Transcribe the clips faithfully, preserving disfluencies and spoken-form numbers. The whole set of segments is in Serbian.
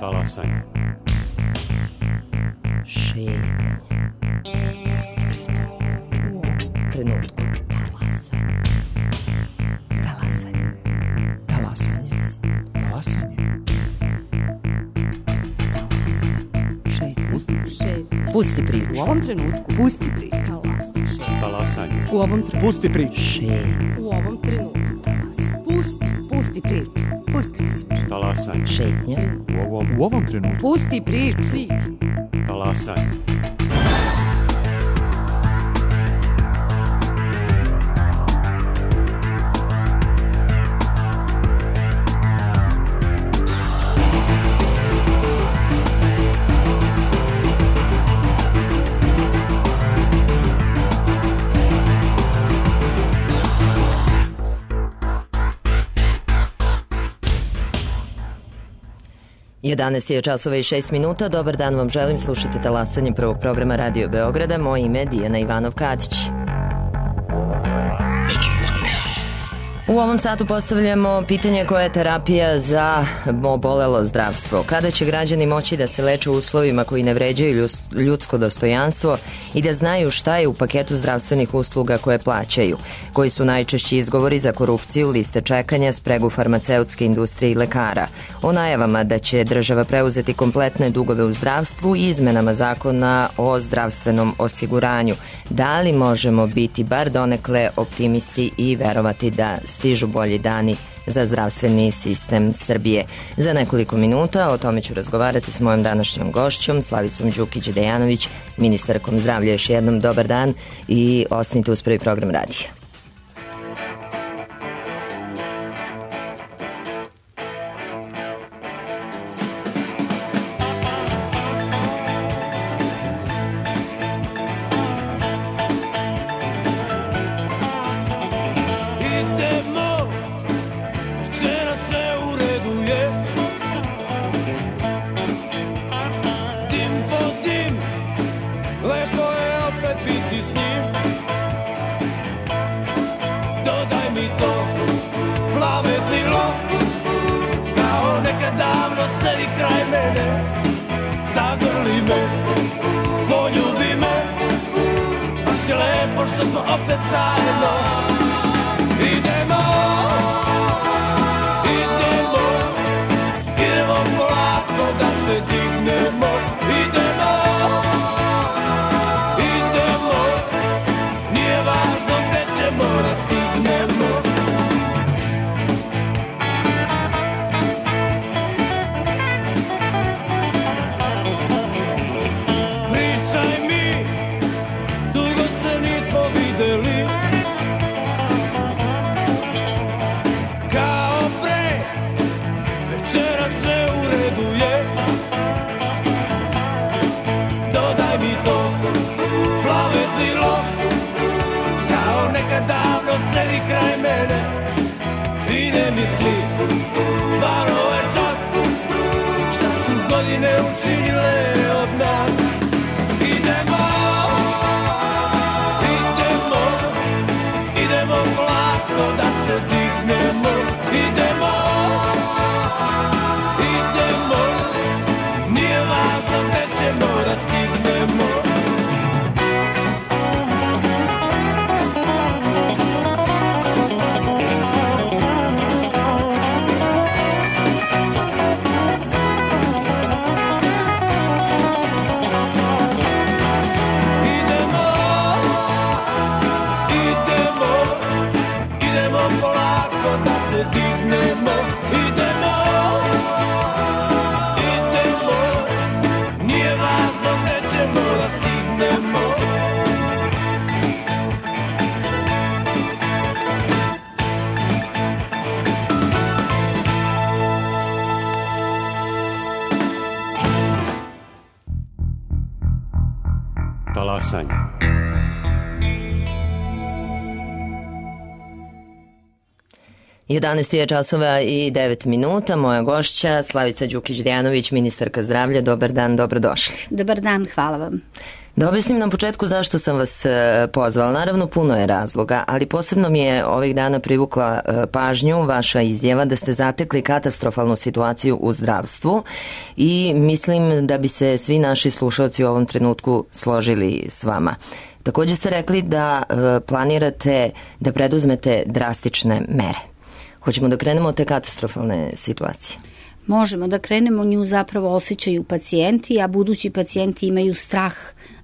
Talasanje. Šetnje. Pusti priču. U ovom trenutku. Talasanje. Talasanje. Talasanje. Talasanje. Šetnje. Šetnje. Pusti priču. U ovom trenutku. Pusti priču. Talasanje. Talasanje. U ovom trenutku. Pusti priču. Šetnje. U ovom trenutku. Talasanje. Pusti. Pusti priču. Pusti priču. Talasanje. Šetnje. U ovom, U ovom trenutku. Pusti priču. Priču. talasanje. jedanaest je časova i šest minuta. Dobar dan vam želim, slušajte talasanje prvog programa Radio Beograda. Moje ime je Dijana Ivanov-Kadić. U ovom satu postavljamo pitanje koja je terapija za obolelo zdravstvo. Kada će građani moći da se leče u uslovima koji ne vređaju ljudsko dostojanstvo i da znaju šta je u paketu zdravstvenih usluga koje plaćaju? Koji su najčešći izgovori za korupciju, liste čekanja, spregu farmaceutske industrije i lekara? O najavama da će država preuzeti kompletne dugove u zdravstvu i izmenama zakona o zdravstvenom osiguranju. Da li možemo biti bar donekle optimisti i verovati da stižu bolji dani za zdravstveni sistem Srbije? Za nekoliko minuta o tome ću razgovarati s mojom današnjom gošćom, Slavicom Đukić-Dejanović, ministarkom zdravlja. Još jednom dobar dan i ostanite uz prvi program radija. Talasanje. jedanaest je časova i devet minuta. Moja gošća Slavica Đukić-Dejanović, ministarka zdravlja. Dobar dan, dobrodošli. Dobar dan, hvala vam. Da objasnim na početku zašto sam vas pozvala. Naravno, puno je razloga, ali posebno mi je ovih dana privukla pažnju vaša izjava da ste zatekli katastrofalnu situaciju u zdravstvu i mislim da bi se svi naši slušalci u ovom trenutku složili s vama. Također ste rekli da planirate da preduzmete drastične mere. Hoćemo da krenemo od te katastrofalne situacije? Možemo da krenemo, nju zapravo osjećaju pacijenti, a budući pacijenti imaju strah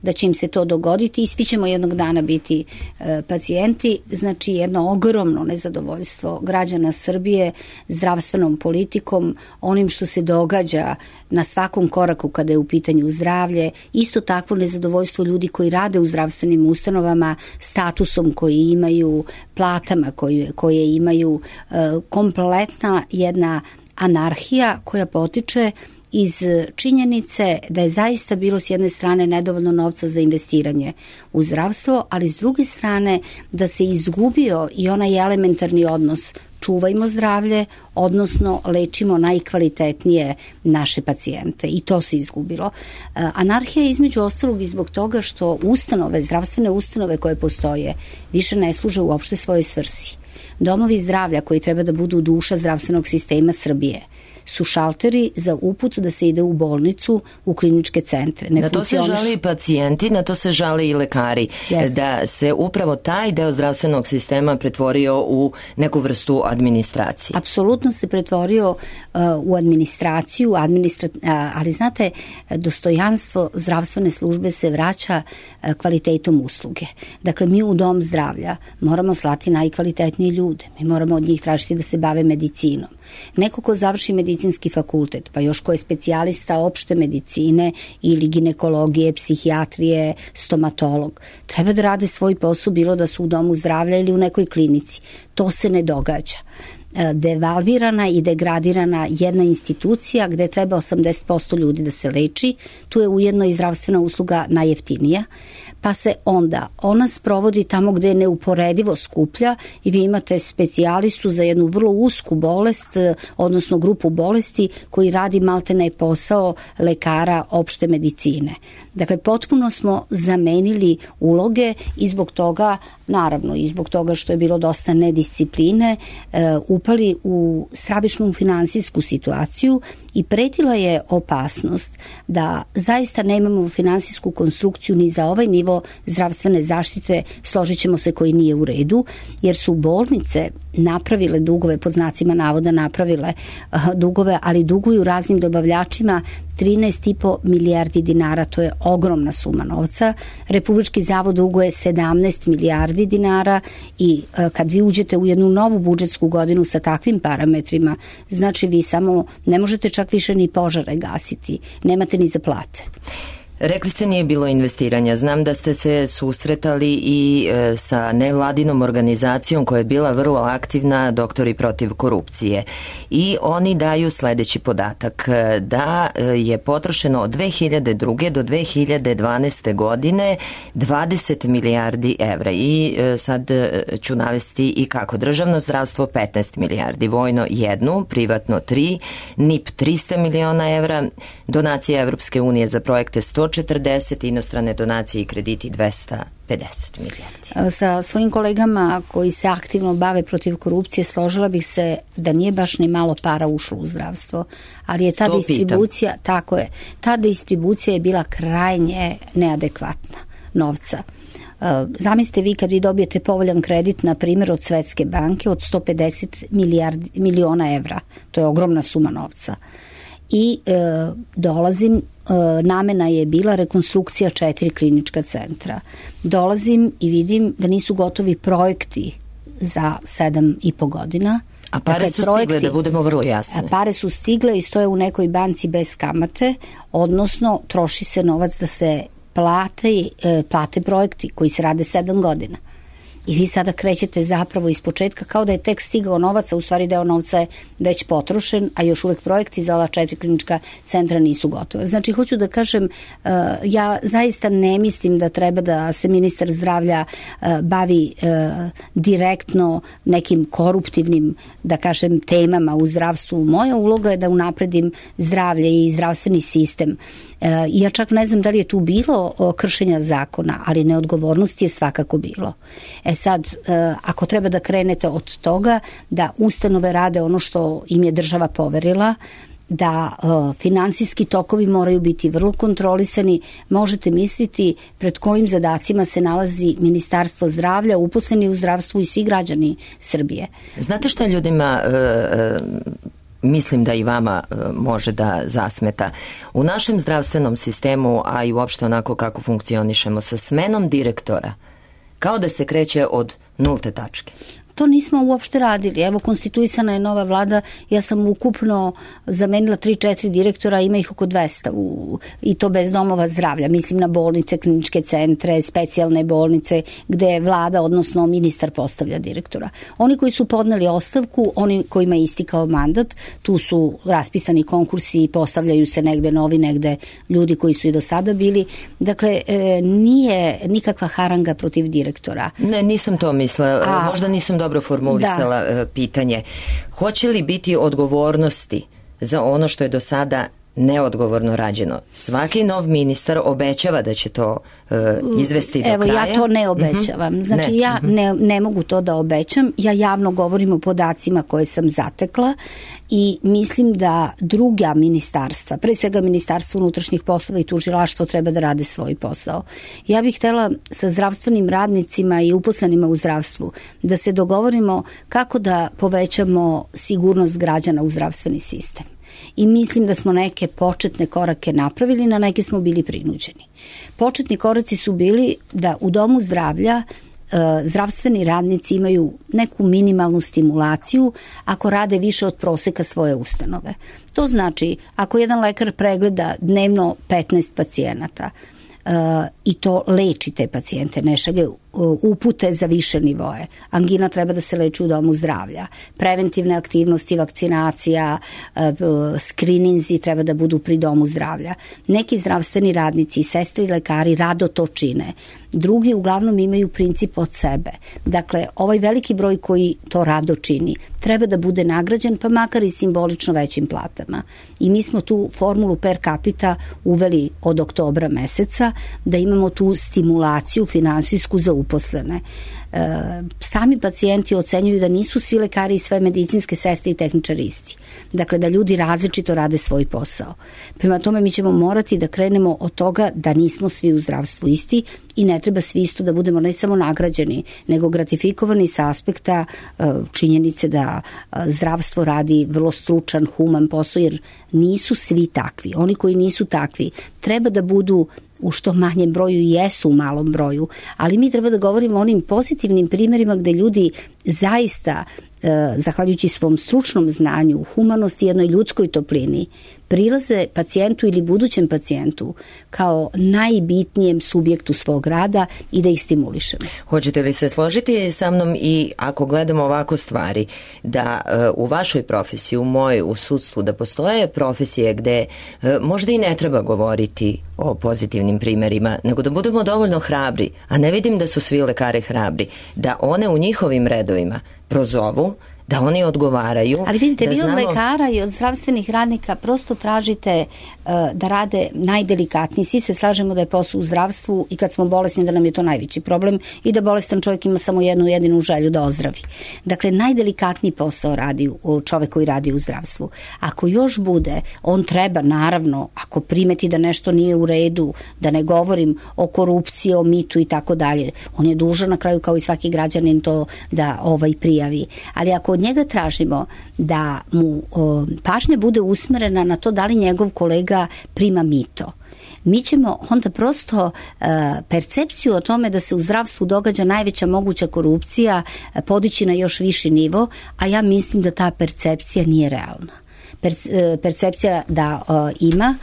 da će im se to dogoditi i svi ćemo jednog dana biti e, pacijenti. Znači jedno ogromno nezadovoljstvo građana Srbije zdravstvenom politikom, onim što se događa na svakom koraku kada je u pitanju zdravlje, isto takvo nezadovoljstvo ljudi koji rade u zdravstvenim ustanovama, statusom koji imaju, platama koje, koje imaju, e, kompletna jedna anarhija koja potiče iz činjenice da je zaista bilo s jedne strane nedovoljno novca za investiranje u zdravstvo, ali s druge strane da se izgubio i onaj elementarni odnos čuvajmo zdravlje, odnosno lečimo najkvalitetnije naše pacijente i to se izgubilo. Anarhija je između ostalog i zbog toga što ustanove, zdravstvene ustanove koje postoje više ne služe uopšte svojoj svrsi. Domovi zdravlja koji treba da budu duša zdravstvenog sistema Srbije su šalteri za uput da se ide u bolnicu, u kliničke centre. Ne na to se žali pacijenti, na to se žale i lekari. Jeste. Da se upravo taj deo zdravstvenog sistema pretvorio u neku vrstu administracije. Apsolutno se pretvorio uh, u administraciju, administra... uh, ali znate, dostojanstvo zdravstvene službe se vraća uh, kvalitetom usluge. Dakle, mi u dom zdravlja moramo slati najkvalitetnije ljude. Mi moramo od njih tražiti da se bave medicinom. Neko ko završi medicinski fakultet, pa još ko je specijalista opšte medicine ili ginekologije, psihijatrije, stomatolog, treba da rade svoj posao, bilo da su u domu zdravlja ili u nekoj klinici. To se ne događa. Devalvirana i degradirana jedna institucija gde treba osamdeset posto ljudi da se leči, tu je ujedno i zdravstvena usluga najjeftinija, pa se onda ona sprovodi tamo gde je neuporedivo skuplja i vi imate specijalistu za jednu vrlo usku bolest, odnosno grupu bolesti koji radi maltene posao lekara opšte medicine. Dakle, potpuno smo zamenili uloge i zbog toga, naravno i zbog toga što je bilo dosta nediscipline, upali u stravičnu finansijsku situaciju i pretila je opasnost da zaista nemamo finansijsku konstrukciju ni za ovaj nivo zdravstvene zaštite, složit ćemo se, koji nije u redu, jer su bolnice napravile dugove, pod znacima navoda napravile uh, dugove, ali duguju raznim dobavljačima trinaest i po milijardi dinara, to je ogromna suma novca. Republički zavod duguje sedamnaest milijardi dinara i uh, kad vi uđete u jednu novu budžetsku godinu sa takvim parametrima, znači vi samo ne možete čak više ni požare gasiti, nemate ni za plate. Rekli ste nije bilo investiranja. Znam da ste se susretali i e, sa nevladinom organizacijom koja je bila vrlo aktivna, Doktori protiv korupcije. I oni daju sledeći podatak, da je potrošeno od dve hiljade druge do dve hiljade dvanaeste godine dvadeset milijardi evra. I e, sad ću navesti i kako. Državno zdravstvo petnaest milijardi, vojno jednu, privatno tri, N I P trista miliona evra, donacije Evropske unije za projekte sto četrdeset, inostrane donacije i krediti dvesta pedeset milijardi. Sa svojim kolegama koji se aktivno bave protiv korupcije složila bih se da nije baš ni malo para ušlo u zdravstvo, ali je ta to distribucija, pitam. Tako je, ta distribucija je bila krajnje neadekvatna novca. Zamislite vi kad vi dobijete povoljan kredit, na primjer od Svetske banke, od sto pedeset milijardi, miliona evra, to je ogromna suma novca. I e, dolazim, e, namena je bila rekonstrukcija četiri klinička centra. Dolazim i vidim da nisu gotovi projekti za sedam i po godina. A pare dakle, su projekti, stigle, da budemo vrlo jasni. Pare su stigle i stoje u nekoj banci bez kamate, odnosno troši se novac da se plate, e, plate projekti koji se rade sedam godina. i vi sada krećete zapravo iz početka kao da je tek stigao novac, a u stvari deo novca je već potrošen, a još uvek projekti za ova četiri klinička centra nisu gotove. Znači, hoću da kažem, ja zaista ne mislim da treba da se ministar zdravlja bavi direktno nekim koruptivnim, da kažem, temama u zdravstvu. Moja uloga je da unapredim zdravlje i zdravstveni sistem. I ja čak ne znam da li je tu bilo kršenja zakona, ali neodgovornost je svakako bilo. E sad, ako treba da krenete od toga da ustanove rade ono što im je država poverila, da uh, finansijski tokovi moraju biti vrlo kontrolisani, možete misliti pred kojim zadacima se nalazi Ministarstvo zdravlja, uposleni u zdravstvu i svi građani Srbije. Znate šta ljudima... Uh, uh... mislim da i vama može da zasmeta. U našem zdravstvenom sistemu, a i uopšte onako kako funkcionišemo, sa smenom direktora, kao da se kreće od nulte tačke. To nismo uopšte radili. Evo, konstituisana je nova vlada, ja sam ukupno zamenila tri četiri direktora, ima ih oko dvesta u, i to bez domova zdravlja. Mislim na bolnice, kliničke centre, specijalne bolnice gde vlada, odnosno ministar postavlja direktora. Oni koji su podneli ostavku, oni kojima je istikao mandat, tu su raspisani konkursi i postavljaju se negde novi, negde ljudi koji su i do sada bili. Dakle, e, nije nikakva haranga protiv direktora. Ne, nisam to mislila. A, možda nisam dobro formulisala da. pitanje. Hoće li biti odgovornosti za ono što je do sada neodgovorno rađeno? Svaki nov ministar obećava da će to uh, izvesti do Evo, kraja. Evo, ja to ne obećavam. Mm-hmm. Znači, ne. ja mm-hmm. ne, ne mogu to da obećam. Ja javno govorim o podacima koje sam zatekla i mislim da druga ministarstva, pre svega Ministarstvo unutrašnjih poslova i tužilaštvo, treba da rade svoj posao. Ja bih htela sa zdravstvenim radnicima i uposlenima u zdravstvu da se dogovorimo kako da povećamo sigurnost građana u zdravstveni sistem. I mislim da smo neke početne korake napravili, na neke smo bili prinuđeni. Početni koraci su bili da u domu zdravlja e, zdravstveni radnici imaju neku minimalnu stimulaciju ako rade više od proseka svoje ustanove. To znači, ako jedan lekar pregleda dnevno petnaest pacijenata, Uh, i to leči te pacijente, ne šalje uh, upute za više nivoe. Angina treba da se leči u domu zdravlja. Preventivne aktivnosti, vakcinacija, uh, skrininzi treba da budu pri domu zdravlja. Neki zdravstveni radnici, sestre i lekari rado to čine. Drugi uglavnom imaju princip od sebe. Dakle, ovaj veliki broj koji to rado čini treba da bude nagrađen, pa makar i simbolično većim platama. I mi smo tu formulu per capita uveli od oktobra meseca, da imamo tu stimulaciju finansijsku za uposlene. E, sami pacijenti ocenjuju da nisu svi lekari i sve medicinske sestre i tehničari isti. Dakle, da ljudi različito rade svoj posao. Prema tome, mi ćemo morati da krenemo od toga da nismo svi u zdravstvu isti i ne treba svi isto da budemo ne samo nagrađeni, nego gratifikovani sa aspekta e, činjenice da e, zdravstvo radi vrlo stručan, human posao, jer nisu svi takvi. Oni koji nisu takvi treba da budu u što manjem broju i jesu u malom broju, ali mi treba da govorimo o onim pozitivnim primjerima gde ljudi zaista, e, zahvaljujući svom stručnom znanju, humanosti i jednoj ljudskoj toplini, prilaze pacijentu ili budućem pacijentu kao najbitnijem subjektu svog rada i da ih stimulišemo. Hoćete li se složiti sa mnom i ako gledamo ovako stvari, da uh, u vašoj profesiji, u mojoj, u sudstvu, da postoje profesije gde uh, možda i ne treba govoriti o pozitivnim primjerima, nego da budemo dovoljno hrabri, a ne vidim da su svi lekari hrabri, da one u njihovim redovima prozovu, da oni odgovaraju. Ali vidite, da vi od znamo... lekara i od zdravstvenih radnika prosto tražite uh, da rade najdelikatniji. Svi se slažemo da je posao u zdravstvu i kad smo bolesni da nam je to najveći problem i da bolestan čovjek ima samo jednu jedinu želju da ozdravi. Dakle, najdelikatniji posao radi čovjek koji radi u zdravstvu. Ako još bude, on treba, naravno, ako primeti da nešto nije u redu, da ne govorim o korupciji, o mitu i tako dalje, on je dužan na kraju kao i svaki građanin to da ovaj prijavi. Ali ako od njega tražimo da mu o, pažnja bude usmerena na to da li njegov kolega prima mito, mi ćemo onda prosto uh, percepciju o tome da se u zdravstvu događa najveća moguća korupcija uh, podići na još viši nivo, a ja mislim da ta percepcija nije realna. Per, uh, percepcija da uh, ima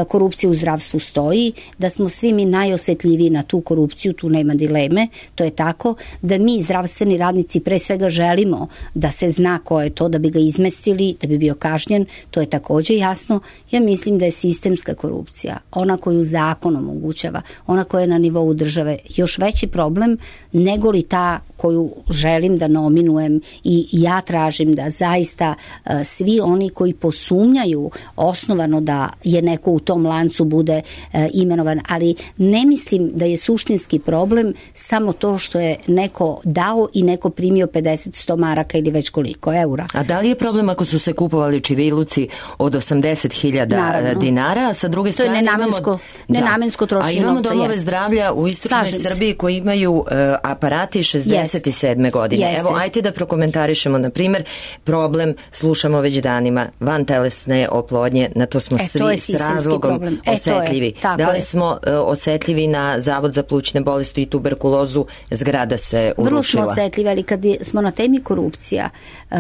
korupcija u zdravstvu stoji, da smo svi mi najosetljiviji na tu korupciju, tu nema dileme, to je tako, da mi zdravstveni radnici pre svega želimo da se zna ko je to, da bi ga izmestili, da bi bio kažnjen, to je takođe jasno. Ja mislim da je sistemska korupcija, ona koju zakon omogućava, ona koja je na nivou države, još veći problem nego li ta koju želim da nominujem i ja tražim da zaista uh, svi oni koji posumnjaju osnovano da je neko u tom lancu bude uh, imenovan, ali ne mislim da je suštinski problem samo to što je neko dao i neko primio pedeset sto maraka ili već koliko eura. A da li je problem ako su se kupovali čiviluci od osamdeset hiljada dinara, a sa druge strane to je nenamensko, imamo, nenamensko trošenje novca. A imamo domove jest. zdravlja u istočnoj Srbiji koji imaju uh, aparati šezdeset sedme godine. Jeste. Evo, ajte da prokomentarišemo, na primjer, problem, slušamo već danima, vantelesne oplodnje, na to smo e, svi to s razlogom e, osetljivi. Da li je. smo uh, osetljivi na Zavod za plućne bolesti i tuberkulozu, zgrada se urušila. Vrlo smo osetljivi, ali kad je, smo na temi korupcija, uh,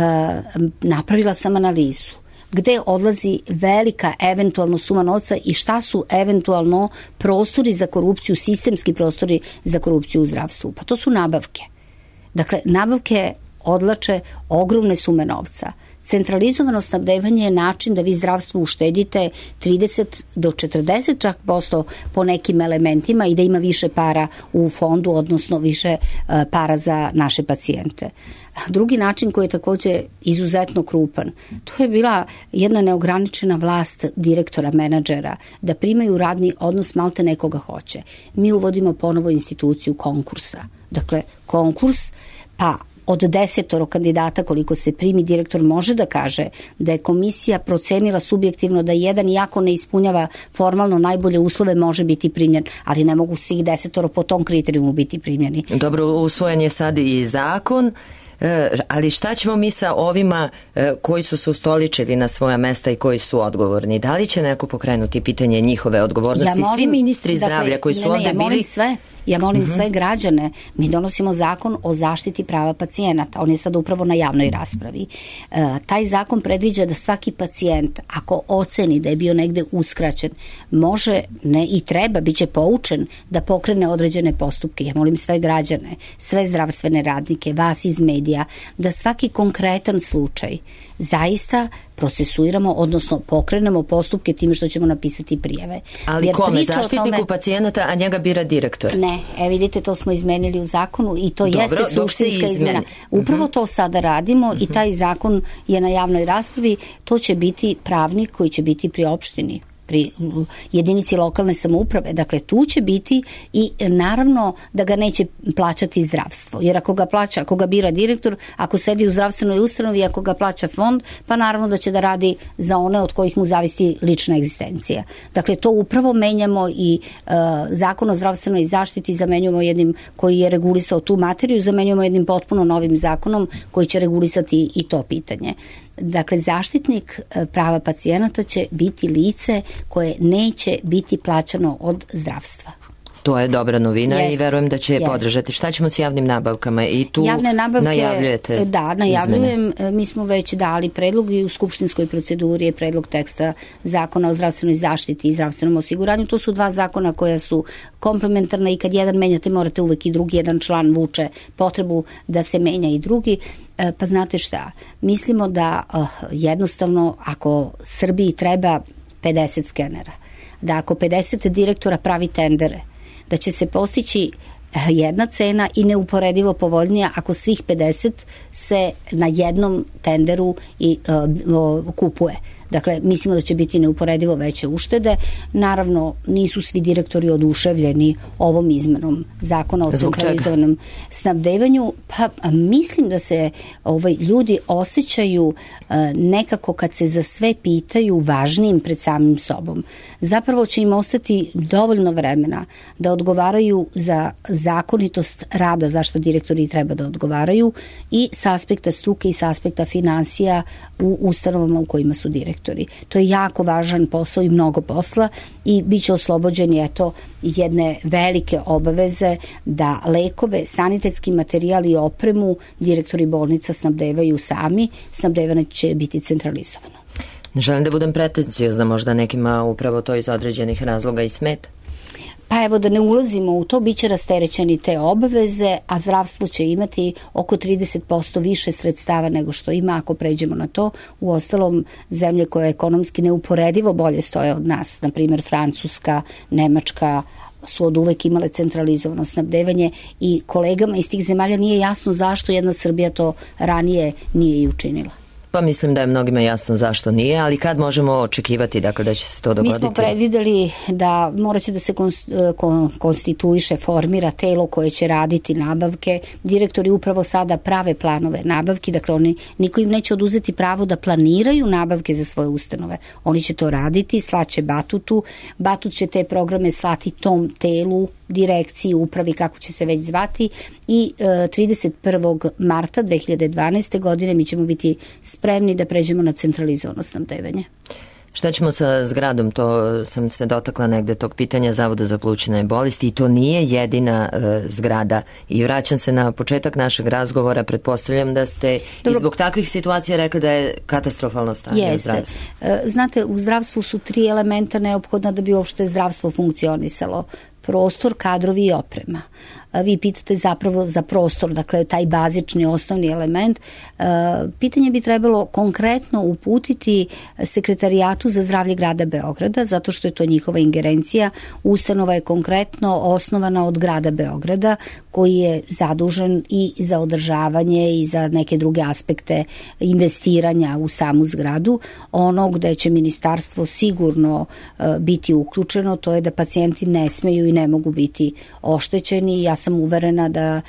napravila sam analizu gde odlazi velika eventualno suma novca i šta su eventualno prostori za korupciju, sistemski prostori za korupciju u zdravstvu. Pa to su nabavke. Dakle, nabavke odlače ogromne sume novca. Centralizovano snabdevanje je način da vi zdravstvu uštedite trideset do četrdeset čak posto po nekim elementima i da ima više para u fondu, odnosno više uh, para za naše pacijente. Drugi način koji je takođe izuzetno krupan, to je bila jedna neograničena vlast direktora, menadžera, da primaju radni odnos malte nekoga hoće. Mi uvodimo ponovo instituciju konkursa. Dakle, konkurs, pa od desetoro kandidata koliko se primi, direktor može da kaže da je komisija procenila subjektivno da jedan, iako ne ispunjava formalno najbolje uslove, može biti primljen, ali ne mogu svih desetoro po tom kriterijumu biti primljeni. Dobro, usvojen je sad i zakon, ali šta ćemo mi sa ovima koji su se ustoličili na svoja mesta i koji su odgovorni? Da li će neko pokrenuti pitanje njihove odgovornosti? Ja molim, svi ministri zdravlja dakle, koji su ne, ne, ovde ja molim bili... Sve, ja molim uh-huh. sve građane. Mi donosimo zakon o zaštiti prava pacijenata. On je sad upravo na javnoj raspravi. E, taj zakon predviđa da svaki pacijent, ako oceni da je bio negde uskraćen, može, ne i treba, bit će poučen da pokrene određene postupke. Ja molim sve građane, sve zdravstvene radnike, vas iz medija, da svaki konkretan slučaj zaista procesuiramo, odnosno pokrenemo postupke time što ćemo napisati prijave. Ali jer kome? Zaštitniku tome... pacijenata, a njega bira direktor? Ne, e vidite, to smo izmenili u zakonu i to dobro, jeste suštinska izmena. Upravo uh-huh. to sada radimo uh-huh. i taj zakon je na javnoj raspravi. To će biti pravnik koji će biti pri opštini, pri jedinici lokalne samouprave. Dakle, tu će biti i naravno da ga neće plaćati zdravstvo. Jer ako ga plaća, ako ga bira direktor, ako sedi u zdravstvenoj ustanovi, ako ga plaća fond, pa naravno da će da radi za one od kojih mu zavisi lična egzistencija. Dakle, to upravo menjamo i uh, zakon o zdravstvenoj zaštiti zamenjujemo jednim koji je regulisao tu materiju, zamenjujemo jednim potpuno novim zakonom koji će regulisati i to pitanje. Dakle, zaštitnik prava pacijenata će biti lice koje neće biti plaćano od zdravstva. To je dobra novina jest, i verujem da će je jest. podržati. Šta ćemo s javnim nabavkama? I tu javne nabavke, najavljujete da, najavljujem. Izmene. Mi smo već dali predlog i u skupštinskoj proceduri je predlog teksta zakona o zdravstvenoj zaštiti i zdravstvenom osiguranju. To su dva zakona koja su komplementarna i kad jedan menjate morate uvek i drugi, jedan član vuče potrebu da se menja i drugi. Pa znate šta, mislimo da uh, jednostavno ako Srbiji treba pedeset skenera, da ako pedeset direktora pravi tendere, da će se postići jedna cena i neuporedivo povoljnija ako svih pedeset se na jednom tenderu i uh, kupuje. Dakle, mislimo da će biti neuporedivo veće uštede. Naravno, nisu svi direktori oduševljeni ovom izmenom zakona o centralizovanom snabdevanju. Pa mislim da se ovaj, ljudi osjećaju uh, nekako kad se za sve pitaju važnijim pred samim sobom. Zapravo će im ostati dovoljno vremena da odgovaraju za zakonitost rada, zašto direktori treba da odgovaraju i s aspekta struke i s aspekta finansija u ustanovama u kojima su direktori. To je jako važan posao i mnogo posla i bit će oslobođeni eto jedne velike obaveze da lekove, sanitetski materijal i opremu direktori bolnica snabdevaju sami, snabdevanje će biti centralizovano. Ne želim da budem pretenciozna, možda nekima upravo to iz određenih razloga i smeta. Pa evo, da ne ulazimo u to, bit će rasterećeni te obaveze, a zdravstvo će imati oko trideset posto više sredstava nego što ima ako pređemo na to. U ostalom, zemlje koje ekonomski neuporedivo bolje stoje od nas, na primjer Francuska, Nemačka, su od uvek imale centralizovano snabdevanje i kolegama iz tih zemalja nije jasno zašto jedna Srbija to ranije nije i učinila. Pa mislim da je mnogima jasno zašto nije, ali kad možemo očekivati dakle, da će se to dogoditi? Mi smo predvideli da morat će da se konstituiše, formira telo koje će raditi nabavke. Direktori upravo sada prave planove nabavki, dakle oni, niko im neće oduzeti pravo da planiraju nabavke za svoje ustanove. Oni će to raditi, slaće Batutu, Batut će te programe slati tom telu, direkciji, upravi, kako će se već zvati, i e, trideset prvog marta dve hiljade dvanaeste. godine mi ćemo biti spremni da pređemo na centralizovano snabdevanje. Šta ćemo sa zgradom? To sam se dotakla negde tog pitanja Zavoda za plućne bolesti i to nije jedina e, zgrada. I vraćam se na početak našeg razgovora, pretpostavljam da ste Dobro. i zbog takvih situacija rekli da je katastrofalno stanje u zdravstvu. E, znate, u zdravstvu su tri elementa neophodna da bi uopšte zdravstvo funkcionisalo. Prostor, kadrovi i oprema. Vi pitate zapravo za prostor, dakle taj bazični osnovni element. Pitanje bi trebalo konkretno uputiti Sekretarijatu za zdravlje grada Beograda, zato što je to njihova ingerencija. Ustanova je konkretno osnovana od grada Beograda, koji je zadužen i za održavanje i za neke druge aspekte investiranja u samu zgradu. Ono gde će ministarstvo sigurno biti uključeno, to je da pacijenti ne smeju i ne mogu biti oštećeni. Ja sam uverena da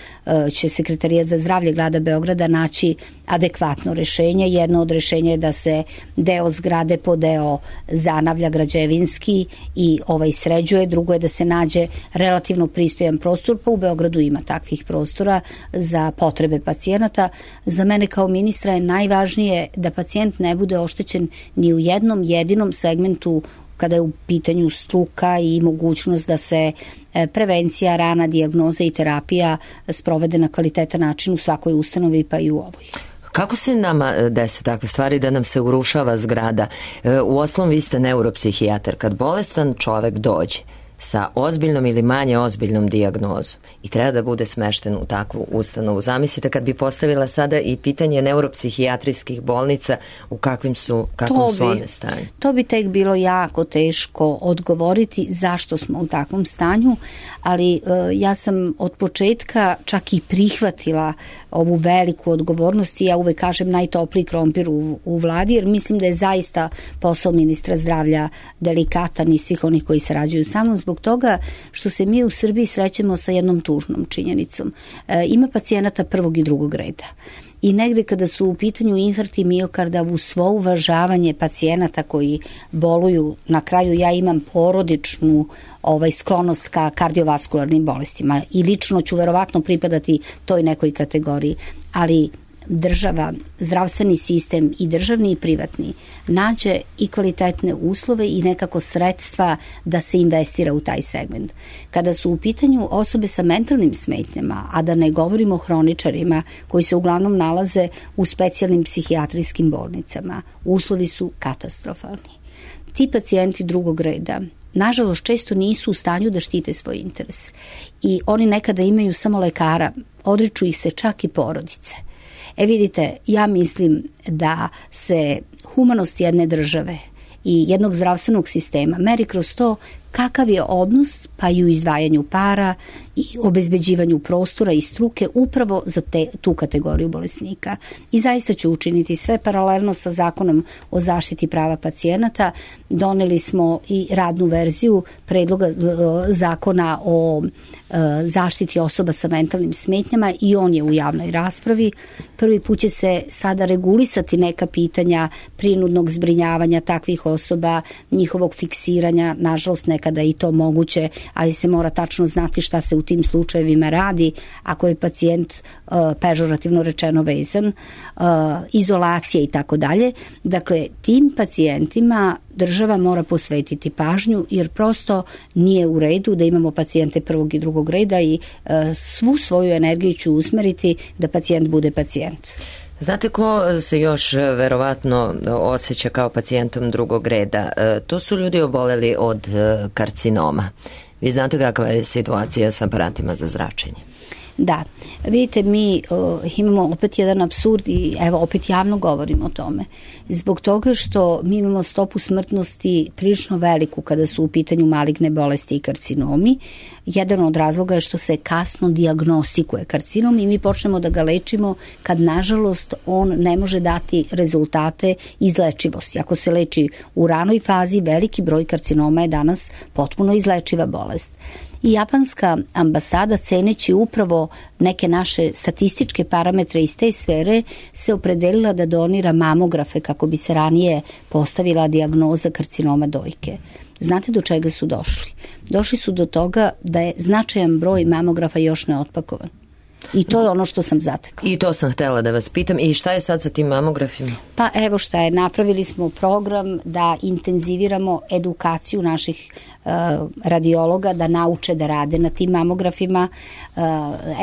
će Sekretarijat za zdravlje grada Beograda naći adekvatno rešenje. Jedno od rešenja je da se deo zgrade po deo zanavlja građevinski i ovaj sređuje. Drugo je da se nađe relativno pristojan prostor, pa u Beogradu ima takvih prostora za potrebe pacijenata. Za mene kao ministra je najvažnije da pacijent ne bude oštećen ni u jednom jedinom segmentu kada je u pitanju struka i mogućnost da se prevencija, rana dijagnoza i terapija sprovede na kvalitetan način u svakoj ustanovi pa i u ovoj. Kako se nama dese takve stvari da nam se urušava zgrada? U osnovu vi ste neuropsihijatar. Kad bolestan čovek dođe sa ozbiljnom ili manje ozbiljnom dijagnozom i treba da bude smešten u takvu ustanovu. Zamislite kad bi postavila sada i pitanje neuropsihijatrijskih bolnica, u kakvim su, kakvom su one stanju? To bi tek bilo jako teško odgovoriti zašto smo u takvom stanju, ali e, ja sam od početka čak i prihvatila ovu veliku odgovornost i ja uvek kažem najtopliji krompir u, u vladi, jer mislim da je zaista posao ministra zdravlja delikatan i svih onih koji sarađuju sa mnom, zbog toga što se mi u Srbiji srećemo sa jednom tužnom činjenicom. E, ima pacijenata prvog i drugog reda. I negde kada su u pitanju infarkti miokarda, uz svo uvažavanje pacijenata koji boluju, na kraju ja imam porodičnu ovaj, sklonost ka kardiovaskularnim bolestima i lično ću verovatno pripadati toj nekoj kategoriji, ali država, zdravstveni sistem i državni i privatni nađe i kvalitetne uslove i nekako sredstva da se investira u taj segment. Kada su u pitanju osobe sa mentalnim smetnjama, a da ne govorimo o hroničarima koji se uglavnom nalaze u specijalnim psihijatrijskim bolnicama, uslovi su katastrofalni. Ti pacijenti drugog reda nažalost često nisu u stanju da štite svoj interes i oni nekada imaju samo lekara, odriču ih se čak i porodice. E vidite, ja mislim da se humanost jedne države i jednog zdravstvenog sistema meri kroz to kakav je odnos pa i u izdvajanju para i obezbeđivanju prostora i struke upravo za te, tu kategoriju bolesnika. I zaista ću učiniti sve paralelno sa zakonom o zaštiti prava pacijenata. Doneli smo i radnu verziju predloga zakona o zaštiti osoba sa mentalnim smetnjama i on je u javnoj raspravi. Prvi put će se sada regulisati neka pitanja prinudnog zbrinjavanja takvih osoba, njihovog fiksiranja, nažalost nekada i to moguće, ali se mora tačno znati šta se u tim slučajevima radi ako je pacijent uh, pežorativno rečeno vezan, uh, izolacija i tako dalje. Dakle, tim pacijentima država mora posvetiti pažnju jer prosto nije u redu da imamo pacijente prvog i drugog reda i uh, svu svoju energiju ću usmeriti da pacijent bude pacijent. Znate ko se još verovatno osjeća kao pacijentom drugog reda? To su ljudi oboleli od karcinoma. Vi znate kakva je situacija sa aparatima za zračenje? Da, vidite, mi uh, imamo opet jedan apsurd i evo opet javno govorimo o tome. Zbog toga što mi imamo stopu smrtnosti prilično veliku kada su u pitanju maligne bolesti i karcinomi. Jedan od razloga je što se kasno dijagnostikuje karcinom i mi počnemo da ga lečimo kad nažalost on ne može dati rezultate izlečivosti. Ako se leči u ranoj fazi, veliki broj karcinoma je danas potpuno izlečiva bolest. I japanska ambasada, ceneći upravo neke naše statističke parametre iz te sfere, se opredelila da donira mamografe kako bi se ranije postavila dijagnoza karcinoma dojke. Znate do čega su došli? Došli su do toga da je značajan broj mamografa još neotpakovan. I to je ono što sam zatekla. I to sam htjela da vas pitam. I šta je sad sa tim mamografima? Pa evo šta je. Napravili smo program da intenziviramo edukaciju naših uh, radiologa, da nauče da rade na tim mamografima. Uh,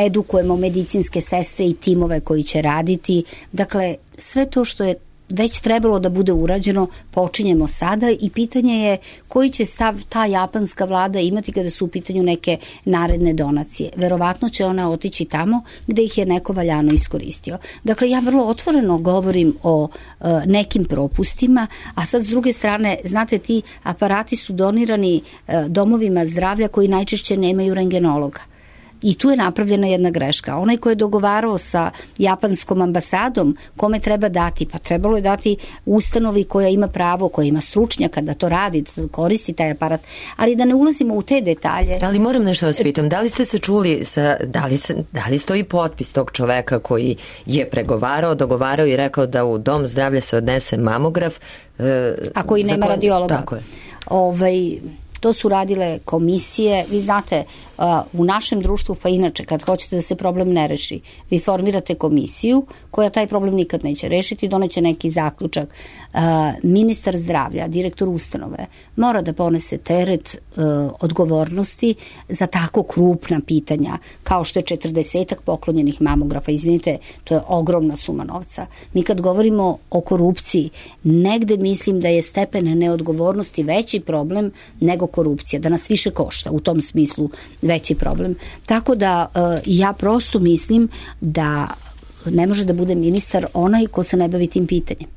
edukujemo medicinske sestre i timove koji će raditi. Dakle, sve to što je već trebalo da bude urađeno, počinjemo sada i pitanje je koji će stav ta japanska vlada imati kada su u pitanju neke naredne donacije. Verovatno će ona otići tamo gde ih je neko valjano iskoristio. Dakle, ja vrlo otvoreno govorim o uh, nekim propustima, a sad s druge strane, znate, ti aparati su donirani uh, domovima zdravlja koji najčešće nemaju rengenologa. I tu je napravljena jedna greška. Onaj ko je dogovarao sa japanskom ambasadom kome treba dati, pa trebalo je dati ustanovi koja ima pravo, koja ima stručnjaka da to radi, da koristi taj aparat, ali da ne ulazimo u te detalje. Ali moram nešto vas pitam, da li ste se čuli, sa, da, li se, da li stoji potpis tog čoveka koji je pregovarao, dogovarao i rekao da u dom zdravlja se odnese mamograf? E, A koji nema radiologa. Tako je. Ovaj... To su radile komisije. Vi znate, u našem društvu, pa inače, kad hoćete da se problem ne reši, vi formirate komisiju koja taj problem nikad neće rešiti, doneće neki zaključak. Ministar zdravlja, direktor ustanove, mora da ponese teret odgovornosti za tako krupna pitanja, kao što je četrdesetak poklonjenih mamografa. Izvinite, to je ogromna suma novca. Mi kad govorimo o korupciji, negde mislim da je stepen neodgovornosti veći problem nego korupcija, da nas više košta, u tom smislu veći problem. Tako da ja prosto mislim da ne može da bude ministar onaj ko se ne bavi tim pitanjem.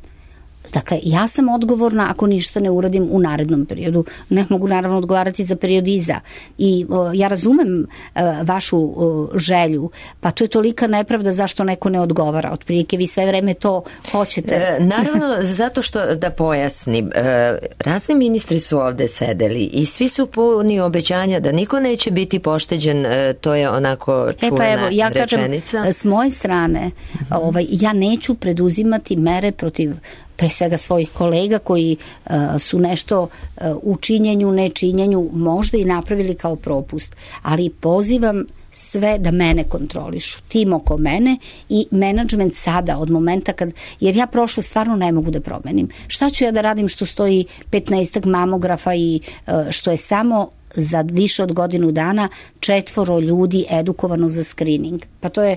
Dakle, ja sam odgovorna ako ništa ne uradim u narednom periodu. Ne mogu naravno odgovarati za period iza. I o, ja razumem o, vašu o, želju, pa to je tolika nepravda zašto neko ne odgovara. Otprilike vi sve vreme to hoćete. E, naravno, zato što da pojasnim, e, razni ministri su ovde sedeli i svi su puni obećanja da niko neće biti pošteđen, e, to je onako čuvena e, pa evo, ja rečenica. Kažem, s moje strane, ovaj, ja neću preduzimati mere protiv pre svega svojih kolega koji uh, su nešto uh, u činjenju, nečinjenju možda i napravili kao propust. Ali pozivam sve da mene kontrolišu, tim oko mene i menadžment sada od momenta kad, jer ja prošlo stvarno ne mogu da promenim. Šta ću ja da radim što stoji petnaestak mamografa i uh, što je samo za više od godinu dana četvoro ljudi edukovano za screening. Pa to je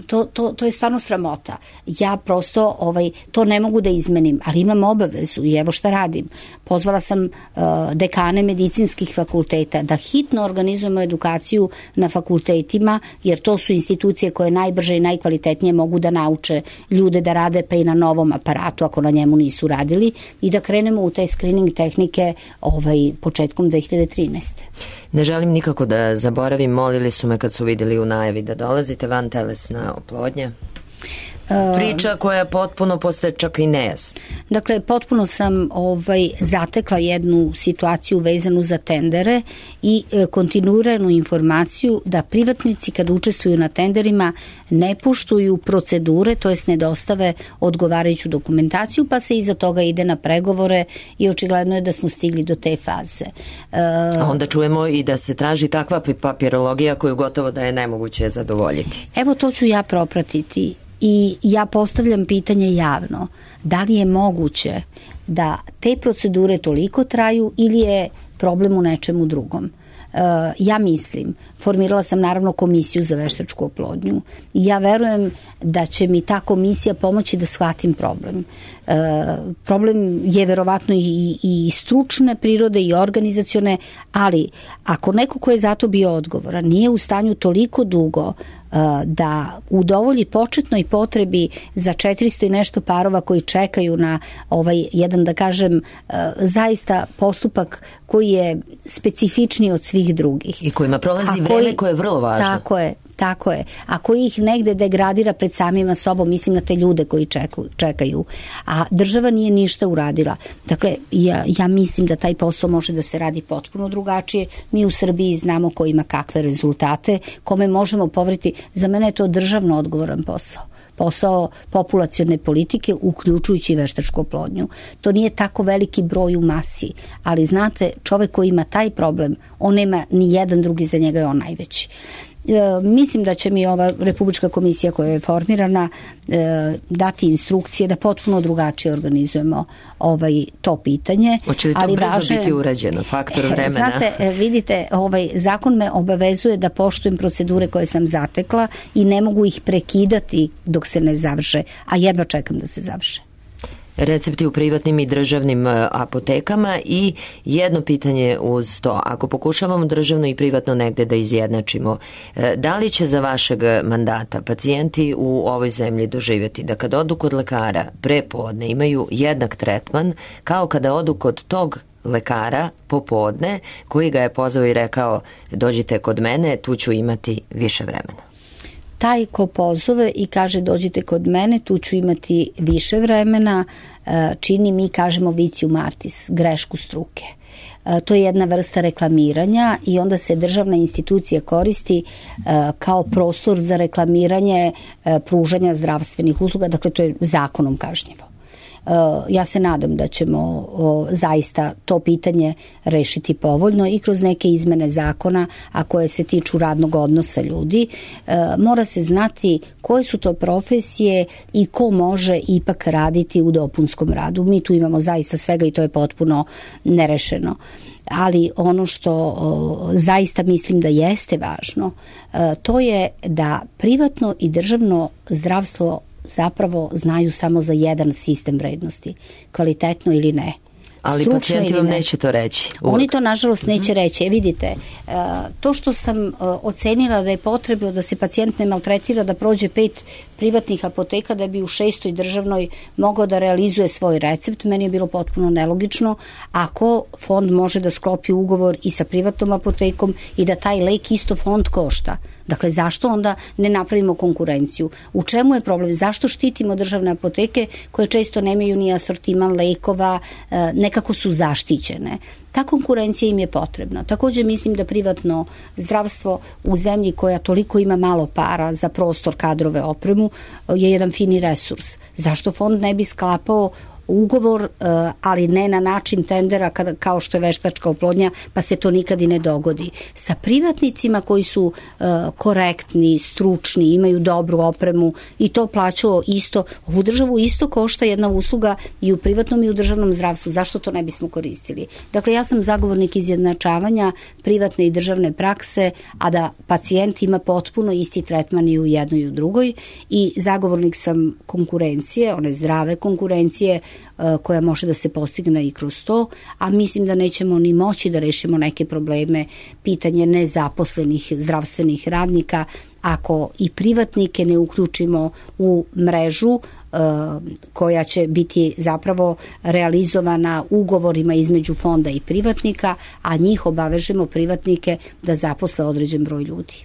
To, to, to je stvarno sramota. Ja prosto ovaj, to ne mogu da izmenim, ali imam obavezu i evo šta radim. Pozvala sam uh, dekane medicinskih fakulteta da hitno organizujemo edukaciju na fakultetima, jer to su institucije koje najbrže i najkvalitetnije mogu da nauče ljude da rade pa i na novom aparatu ako na njemu nisu radili i da krenemo u te screening tehnike ovaj, početkom dve hiljade trinaeste. Ne želim nikako da zaboravim, molili su me kad su vidjeli u najavi da dolazite van telesna oplodnja. Priča koja je potpuno postaje čak i nejasna. Dakle, potpuno sam ovaj, zatekla jednu situaciju vezanu za tendere i e, kontinuiranu informaciju da privatnici kad učestvuju na tenderima ne poštuju procedure, to jest ne dostave odgovarajuću dokumentaciju, pa se iza toga ide na pregovore i očigledno je da smo stigli do te faze. E, A onda čujemo i da se traži takva papirologija koju gotovo da je nemoguće zadovoljiti. Evo to ću ja propratiti. I ja postavljam pitanje javno, da li je moguće da te procedure toliko traju ili je problem u nečemu drugom. ja mislim, formirala sam naravno komisiju za veštačku oplodnju i ja verujem da će mi ta komisija pomoći da shvatim problem. Problem je verovatno i, i stručne prirode i organizacione, ali ako neko ko je za to bio odgovoran nije u stanju toliko dugo da udovolji početnoj potrebi za četiristo i nešto parova koji čekaju na ovaj jedan, da kažem, zaista postupak koji je specifičniji od svih drugih. I kojima prolazi vreme koji, koje je vrlo važno. Tako je. Tako je. Ako ih negde degradira pred samima sobom, mislim na te ljude koji čekaju, čekaju. A država nije ništa uradila. Dakle, ja, ja mislim da taj posao može da se radi potpuno drugačije. Mi u Srbiji znamo ko ima kakve rezultate, kome možemo poveriti. Za mene je to državno odgovoran posao. Posao populacione politike, uključujući veštačku oplodnju. To nije tako veliki broj u masi, ali znate, čovek koji ima taj problem, on nema ni jedan drugi, za njega je on najveći. E, mislim da će mi ova Republička komisija koja je formirana e, dati instrukcije da potpuno drugačije organizujemo ovaj, to pitanje. Hoće li to ali brzo važe, biti urađeno, faktor vremena? Znate, vidite, ovaj, zakon me obavezuje da poštujem procedure koje sam zatekla i ne mogu ih prekidati dok se ne završe, a jedva čekam da se završe. Recepti u privatnim i državnim apotekama i jedno pitanje uz to. Ako pokušavamo državno i privatno negde da izjednačimo, da li će za vašeg mandata pacijenti u ovoj zemlji doživjeti da kad odu kod lekara pre podne imaju jednak tretman kao kada odu kod tog lekara popodne koji ga je pozvao i rekao dođite kod mene, tu ću imati više vremena? Taj ko pozove i kaže dođite kod mene, tu ću imati više vremena, čini mi, kažemo vicium artis, grešku struke. To je jedna vrsta reklamiranja i onda se državna institucija koristi kao prostor za reklamiranje pružanja zdravstvenih usluga, dakle to je zakonom kažnjivo. Ja se nadam da ćemo zaista to pitanje rešiti povoljno i kroz neke izmene zakona, a koje se tiču radnog odnosa ljudi. Mora se znati koje su to profesije i ko može ipak raditi u dopunskom radu. Mi tu imamo zaista svega i to je potpuno nerešeno. Ali ono što o, zaista mislim da jeste važno, e, to je da privatno i državno zdravstvo zapravo znaju samo za jedan sistem vrednosti, kvalitetno ili ne. Ali pacijenti vam neće to reći. Uvijek. Oni to nažalost neće reći. E, vidite, to što sam ocenila da je potrebno da se pacijent ne maltretira, da prođe pet privatnih apoteka da bi u šestoj državnoj mogao da realizuje svoj recept, meni je bilo potpuno nelogično. Ako fond može da sklopi ugovor i sa privatnom apotekom i da taj lek isto fond košta, dakle, zašto onda ne napravimo konkurenciju? U čemu je problem? Zašto štitimo državne apoteke koje često nemaju ni asortiman lekova, nekako su zaštićene? Ta konkurencija im je potrebna. Takođe mislim da privatno zdravstvo u zemlji koja toliko ima malo para za prostor, kadrove, opremu je jedan fini resurs. Zašto fond ne bi sklapao ugovor, ali ne na način tendera kada, kao što je veštačka oplodnja, pa se to nikad i ne dogodi. Sa privatnicima koji su uh, korektni, stručni, imaju dobru opremu i to plaćao isto, ovu državu isto košta jedna usluga i u privatnom i u državnom zdravstvu. Zašto to ne bismo koristili? Dakle, ja sam zagovornik izjednačavanja privatne i državne prakse, a da pacijent ima potpuno isti tretman i u jednoj i u drugoj i zagovornik sam konkurencije, one zdrave konkurencije koja može da se postigne i kroz to, a mislim da nećemo ni moći da rešimo neke probleme, pitanje nezaposlenih zdravstvenih radnika, ako i privatnike ne uključimo u mrežu koja će biti zapravo realizovana ugovorima između fonda i privatnika, a njih obavežemo privatnike da zaposle određen broj ljudi.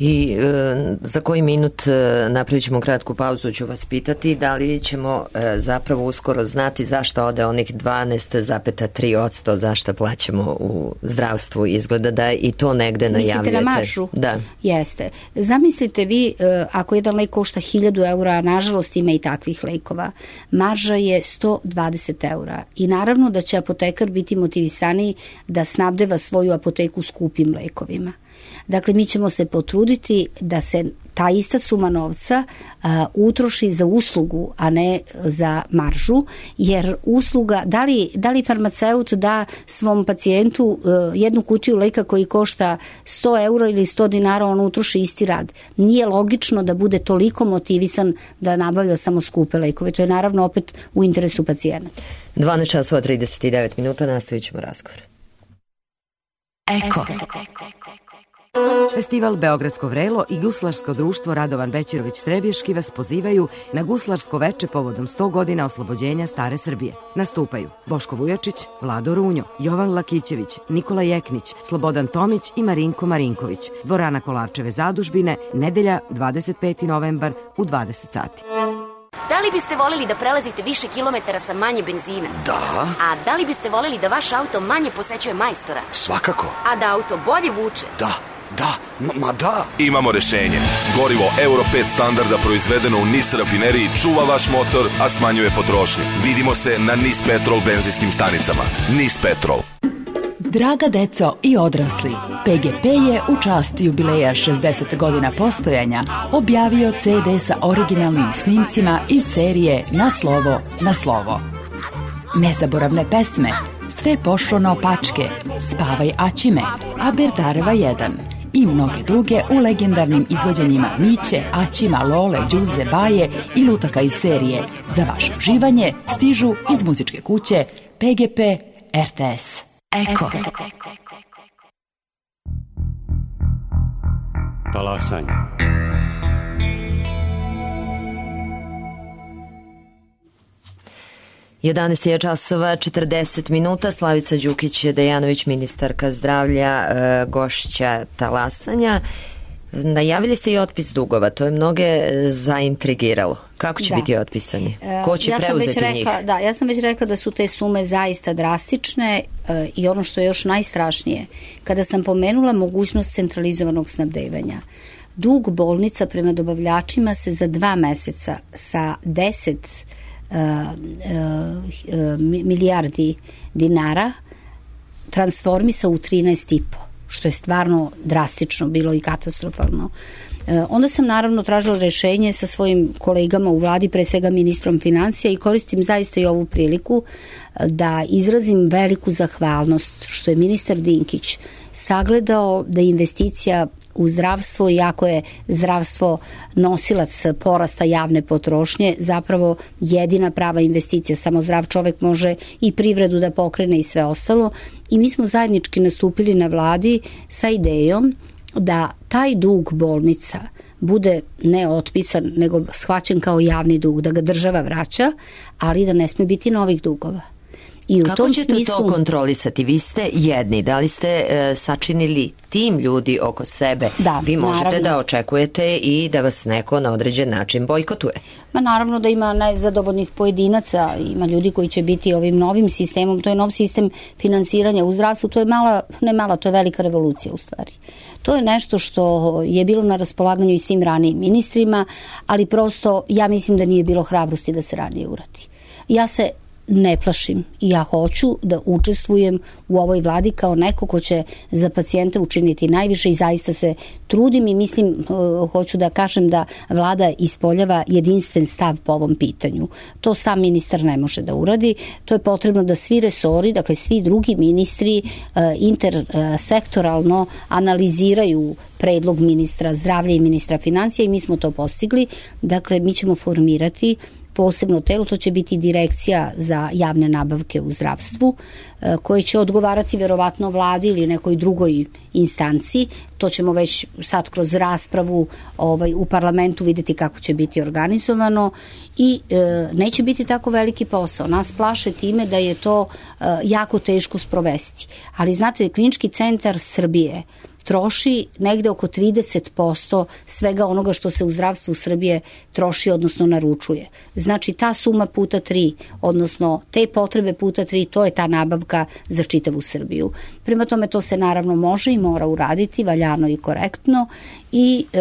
I e, za koji minut e, napravit ćemo kratku pauzu, ću vas pitati da li ćemo e, zapravo uskoro znati zašto ode onih dvanaest zarez tri posto zašto plaćamo u zdravstvu. Izgleda da i to negde najavljujete. Mislite na maržu? Da. Jeste. Zamislite vi, e, ako jedan lek košta hiljadu eura, a nažalost ima i takvih lekova, marža je sto dvadeset eura. I naravno da će apotekar biti motivisaniji da snabdeva svoju apoteku skupim lekovima. Dakle, mi ćemo se potruditi da se ta ista suma novca uh, utroši za uslugu, a ne za maržu, jer usluga, da li, da li farmaceut da svom pacijentu uh, jednu kutiju leka koji košta sto eura ili sto dinara, on utroši isti rad. Nije logično da bude toliko motivisan da nabavlja samo skupe lekove. To je naravno opet u interesu pacijenata. dvanaest časova trideset devet minuta, nastavit ćemo razgovor. Eko. Festival Beogradsko vrelo i Guslarsko društvo Radovan Bećirović Trebješki vas pozivaju na guslarsko veče povodom sto godina oslobođenja Stare Srbije. Nastupaju Boško Vujačić, Vlado Runjo, Jovan Lakićević, Nikola Jeknić, Slobodan Tomić i Marinko Marinković. Dvorana Kolarčeve zadužbine, nedelja dvadeset peti novembar u dvadeset sati. Da li biste voleli da prelazite više kilometara sa manje benzina? Da. A da li biste voleli da vaš auto manje posećuje majstora? Svakako. A da auto bolje vuče? Da, da, ma, ma da. Imamo rešenje. Gorivo Euro pet standarda proizvedeno u NIS rafineriji čuva vaš motor, a smanjuje potrošnju. Vidimo se na NIS Petrol benzinskim stanicama. NIS Petrol. Draga deco i odrasli, P G P je u čast jubileja šezdeset godina postojanja objavio C D sa originalnim snimcima iz serije Na slovo, na slovo. Nezaboravne pesme, Sve pošlo naopačke, Spavaj Aćime, Aberdareva jedan i mnoge druge u legendarnim izvođenjima Miće, Aćima, Lole, Đuze, Baje i lutaka iz serije. Za vaše uživanje stižu iz muzičke kuće P G P R T S. Eko. Talasanje. jedanaest je časova četrdeset minuta. Slavica Đukić-Dejanović, ministarka zdravlja, gošća Talasanja. Najavili ste i otpis dugova, to je mnoge zaintrigiralo. Kako će da. biti otpisani? Ko će ja preuzeti rekla, njih? Da, ja sam već rekla da su te sume zaista drastične e, i ono što je još najstrašnije, kada sam pomenula mogućnost centralizovanog snabdevanja, dug bolnica prema dobavljačima se za dva meseca sa deset uh, uh, milijardi dinara transformisa u trinaest i po, što je stvarno drastično bilo i katastrofalno. E, onda sam naravno tražila rešenje sa svojim kolegama u vladi, pre svega ministrom financija, i koristim zaista i ovu priliku da izrazim veliku zahvalnost što je ministar Dinkić sagledao da investicija u zdravstvo, iako je zdravstvo nosilac porasta javne potrošnje, zapravo jedina prava investicija. Samo zdrav čovek može i privredu da pokrene i sve ostalo. I mi smo zajednički nastupili na vladi sa idejom da taj dug bolnica bude ne otpisan, nego shvaćen kao javni dug, da ga država vraća, ali da ne sme biti novih dugova. I u Kako tom ćete smislu... to kontrolisati? Vi ste jedni, da li ste e, sačinili tim ljudi oko sebe? Da, vi možete naravno. da očekujete i da vas neko na određen način bojkotuje. Ma naravno da ima nezadovoljnih pojedinaca, ima ljudi koji će biti ovim novim sistemom, to je nov sistem finansiranja u zdravstvu, to je mala, ne mala, to je velika revolucija u stvari. To je nešto što je bilo na raspolaganju i svim ranijim ministrima, ali prosto ja mislim da nije bilo hrabrosti da se ranije uradi. Ja se ne plašim i ja hoću da učestvujem u ovoj vladi kao neko ko će za pacijente učiniti najviše i zaista se trudim i mislim, hoću da kažem da vlada ispoljava jedinstven stav po ovom pitanju. To sam ministar ne može da uradi, to je potrebno da svi resori, dakle svi drugi ministri intersektoralno analiziraju predlog ministra zdravlja i ministra financija i mi smo to postigli. Dakle, mi ćemo formirati posebno telo, to će biti direkcija za javne nabavke u zdravstvu, koje će odgovarati verovatno vladi ili nekoj drugoj instanciji. To ćemo već sad kroz raspravu ovaj, u parlamentu videti kako će biti organizovano i e, neće biti tako veliki posao. Nas plaše time da je to e, jako teško sprovesti. Ali znate, Klinički centar Srbije troši negde oko trideset posto svega onoga što se u zdravstvu Srbije troši, odnosno naručuje. Znači ta suma puta tri, odnosno te potrebe puta tri, to je ta nabavka za čitavu Srbiju. Prema tome to se naravno može i mora uraditi valjano i korektno i e,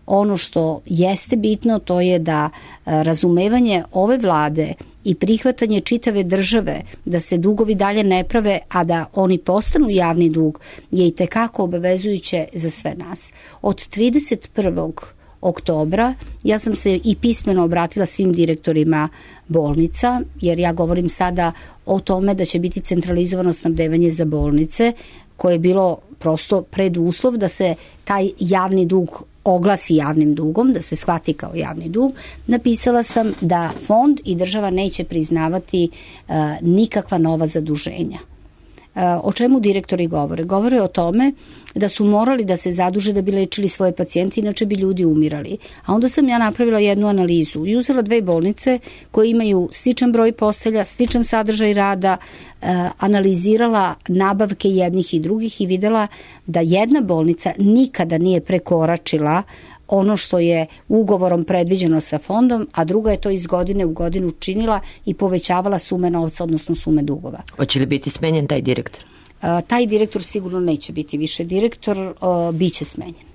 ono što jeste bitno to je da razumevanje ove vlade i prihvatanje čitave države da se dugovi dalje ne prave, a da oni postanu javni dug, je i tekako obavezujuće za sve nas. Od trideset prvog oktobra ja sam se i pismeno obratila svim direktorima bolnica, jer ja govorim sada o tome da će biti centralizovano snabdevanje za bolnice, koje je bilo prosto preduslov da se taj javni dug oglasi javnim dugom, da se shvati kao javni dug. Napisala sam da fond i država neće priznavati uh, nikakva nova zaduženja. O čemu direktori govore? Govore o tome da su morali da se zaduže da bi lečili svoje pacijente, inače bi ljudi umirali. A onda sam ja napravila jednu analizu i uzela dve bolnice koje imaju sličan broj postelja, sličan sadržaj rada, analizirala nabavke jednih i drugih i videla da jedna bolnica nikada nije prekoračila ono što je ugovorom predviđeno sa fondom, a druga je to iz godine u godinu činila i povećavala sume novca, odnosno sume dugova. Hoće li biti smenjen taj direktor? A, taj direktor sigurno neće biti više direktor, a, biće smenjen.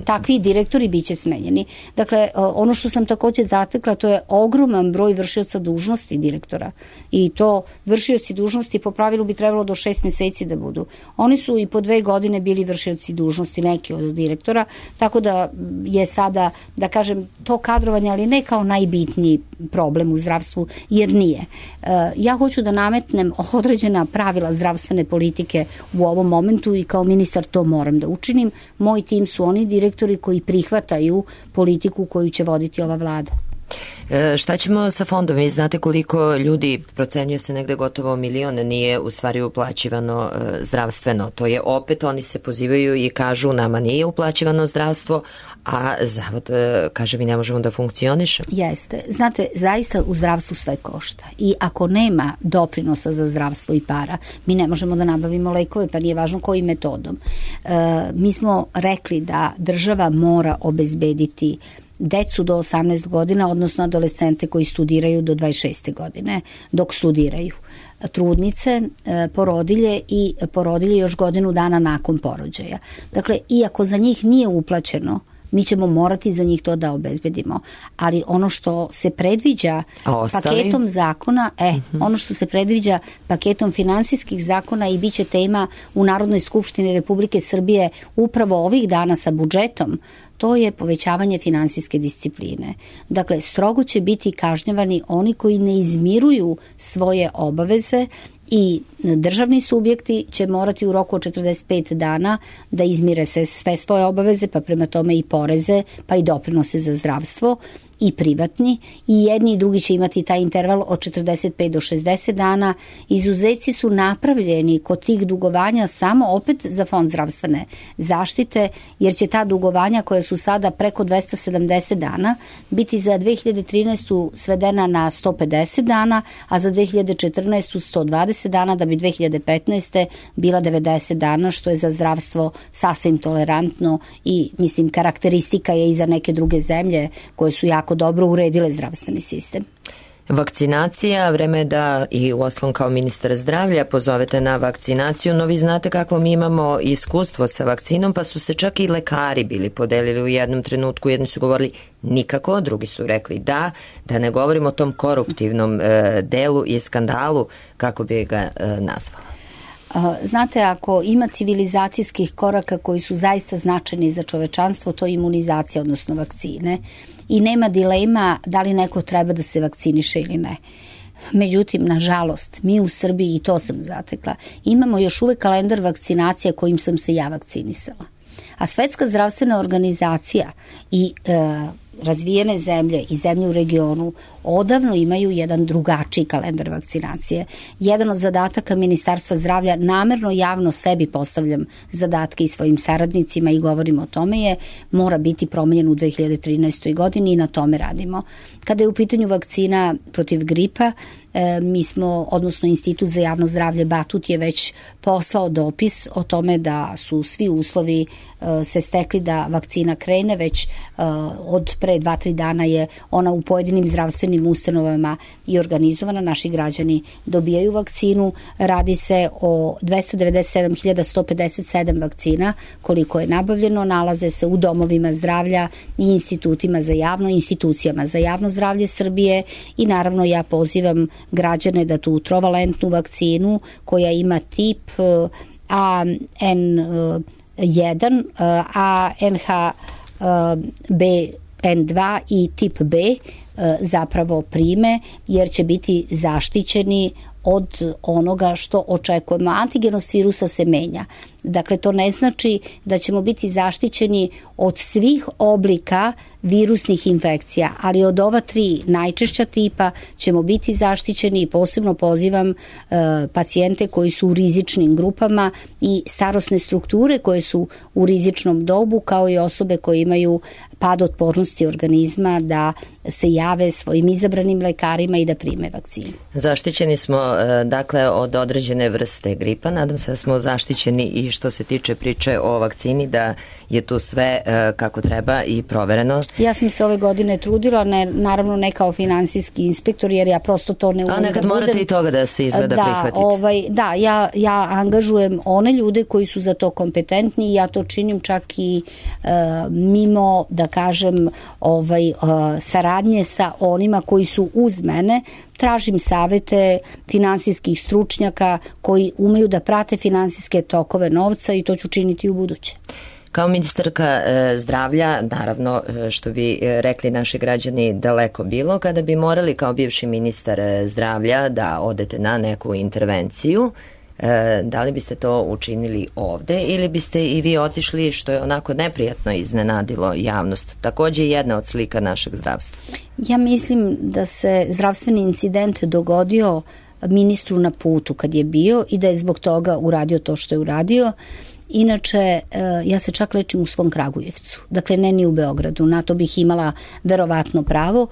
Takvi direktori biće smenjeni. Dakle, ono što sam također zatekla, to je ogroman broj vršioca dužnosti direktora. I to vršioci dužnosti po pravilu bi trebalo do šest meseci da budu. Oni su i po dve godine bili vršioci dužnosti, neki od direktora, tako da je sada, da kažem, to kadrovanje, ali ne kao najbitniji problem u zdravstvu, jer nije. Ja hoću da nametnem određena pravila zdravstvene politike u ovom momentu i kao ministar to moram da učinim. Moj tim su oni direktori koji prihvataju politiku koju će voditi ova vlada. E, šta ćemo sa fondom? Vi znate koliko ljudi, procenjuje se negde gotovo milion, nije u stvari uplaćivano e, zdravstveno. To je opet, oni se pozivaju i kažu nama nije uplaćivano zdravstvo, a zavod e, kaže mi ne možemo da funkcioniše. Jeste. Znate, zaista u zdravstvu sve košta. I ako nema doprinosa za zdravstvo i para, mi ne možemo da nabavimo lekove, pa nije važno kojim metodom. E, mi smo rekli da država mora obezbediti decu do osamnaest godina, odnosno adolescente koji studiraju do dvadeset šeste godine, dok studiraju. Trudnice, porodilje i porodilje još godinu dana nakon porođaja. Dakle, iako za njih nije uplaćeno, mi ćemo morati za njih to da obezbedimo. Ali ono što se predviđa paketom zakona, e, uh-huh. ono što se predviđa paketom finansijskih zakona i bit će tema u Narodnoj skupštini Republike Srbije upravo ovih dana sa budžetom, to je povećavanje finansijske discipline. Dakle, strogo će biti kažnjavani oni koji ne izmiruju svoje obaveze i državni subjekti će morati u roku od četrdeset pet dana da izmire se sve svoje obaveze, pa prema tome i poreze, pa i doprinose za zdravstvo i privatni, i jedni i drugi će imati taj interval od četrdeset pet do šezdeset dana. Izuzeci su napravljeni kod tih dugovanja samo opet za fond zdravstvene zaštite, jer će ta dugovanja koja su sada preko dvesta sedamdeset dana biti za dve hiljade trinaestu svedena na sto pedeset dana, a za dve hiljade četrnaestu sto dvadeset dana, da bi dve hiljade petnaeste bila devedeset dana, što je za zdravstvo sasvim tolerantno i mislim karakteristika je i za neke druge zemlje koje su jako dobro uredile zdravstveni sistem. Vakcinacija, vreme je da i uostalom kao ministar zdravlja pozovete na vakcinaciju, no vi znate kako mi imamo iskustvo sa vakcinom, pa su se čak i lekari bili podelili u jednom trenutku, jedni su govorili nikako, drugi su rekli da, da ne govorimo o tom koruptivnom e, delu i skandalu, kako bi ga e, nazvala. Znate, ako ima civilizacijskih koraka koji su zaista značajni za čovečanstvo, to je imunizacija, odnosno vakcine. I nema dilema da li neko treba da se vakciniše ili ne. Međutim, nažalost, mi u Srbiji, i to sam zatekla, imamo još uvek kalendar vakcinacija kojim sam se ja vakcinisala. A Svetska zdravstvena organizacija i e, razvijene zemlje i zemlje u regionu odavno imaju jedan drugačiji kalendar vakcinacije. Jedan od zadataka Ministarstva zdravlja, namerno javno sebi postavljam zadatke i svojim saradnicima i govorim o tome, je mora biti promenjen u dve hiljade trinaestoj godini i na tome radimo. Kada je u pitanju vakcina protiv gripa, mi smo, odnosno Institut za javno zdravlje Batut je već poslao dopis o tome da su svi uslovi se stekli da vakcina krene, već od pre dva, tri dana je ona u pojedinim zdravstvenim ustanovama i organizovana, naši građani dobijaju vakcinu, radi se o dvesta devedeset sedam hiljada sto pedeset sedam vakcina koliko je nabavljeno, nalaze se u domovima zdravlja i institutima za javno, institucijama za javno zdravlje Srbije i naravno ja pozivam građane da tu trovalentnu vakcinu koja ima tip A N jedan, A N H B N dva i tip B zapravo prime, jer će biti zaštićeni od onoga što očekujemo. Antigenost virusa se menja. Dakle, to ne znači da ćemo biti zaštićeni od svih oblika virusnih infekcija, ali od ova tri najčešća tipa ćemo biti zaštićeni i posebno pozivam e, pacijente koji su u rizičnim grupama i starosne strukture koje su u rizičnom dobu, kao i osobe koje imaju pad otpornosti organizma, da se jave svojim izabranim lekarima i da prime vakcinu. Zaštićeni smo e, dakle od određene vrste gripa, nadam se da smo zaštićeni i što se tiče priče o vakcini, da je tu sve e, kako treba i provereno. Ja sam se ove godine trudila, ne, naravno ne kao finansijski inspektor, jer ja prosto to ne umem da budem. A nekad morate i toga da se izgleda da, prihvatite. Ovaj, da, ja, ja angažujem one ljude koji su za to kompetentni i ja to činim čak i e, mimo, da kažem, ovaj, e, saradnje sa onima koji su uz mene. Tražim savete finansijskih stručnjaka koji umeju da prate finansijske tokove novca i to ću činiti u buduće. Kao ministarka e, zdravlja, naravno, e, što bi e, rekli naši građani, daleko bilo, kada bi morali kao bivši ministar e, zdravlja da odete na neku intervenciju, e, da li biste to učinili ovde ili biste i vi otišli, što je onako neprijatno iznenadilo javnost? Takođe jedna od slika našeg zdravstva. Ja mislim da se zdravstveni incident dogodio ministru na putu kad je bio i da je zbog toga uradio to što je uradio. Inače, ja se čak lečim u svom Kragujevcu, dakle ne ni u Beogradu, na to bih imala verovatno pravo.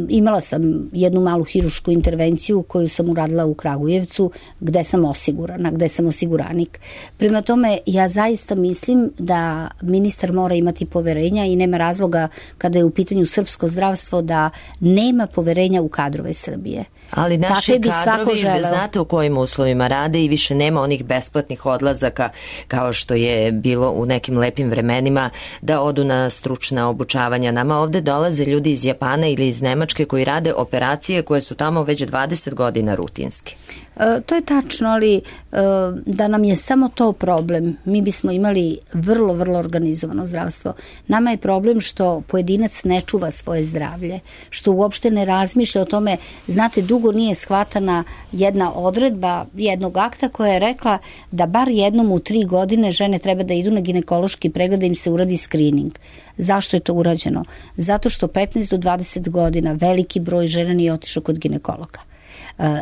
Imala sam jednu malu hirušku intervenciju koju sam uradila u Kragujevcu, gde sam osigurana, gde sam osiguranik. Prema tome, ja zaista mislim da ministar mora imati poverenja i nema razloga kada je u pitanju srpsko zdravstvo da nema poverenja u kadrove Srbije. Ali naši kadrovi, znate u kojim uslovima rade i više nema onih besplatnih odlazaka kao što je bilo u nekim lepim vremenima, da odu na stručna obučavanja. Nama ovde dolaze ljudi iz Japana ili iz Nemačke koji rade operacije koje su tamo već dvadeset godina rutinske. E, to je tačno, ali e, da nam je samo to problem, mi bismo imali vrlo, vrlo organizovano zdravstvo. Nama je problem što pojedinac ne čuva svoje zdravlje, što uopšte ne razmišlja o tome. Znate, dugo nije shvatana jedna odredba jednog akta koja je rekla da bar jednom u tri godine žene treba da idu na ginekološki pregled da im se uradi screening. Zašto je to urađeno? Zato što petnaest do dvadeset godina veliki broj žena nije otišao kod ginekologa.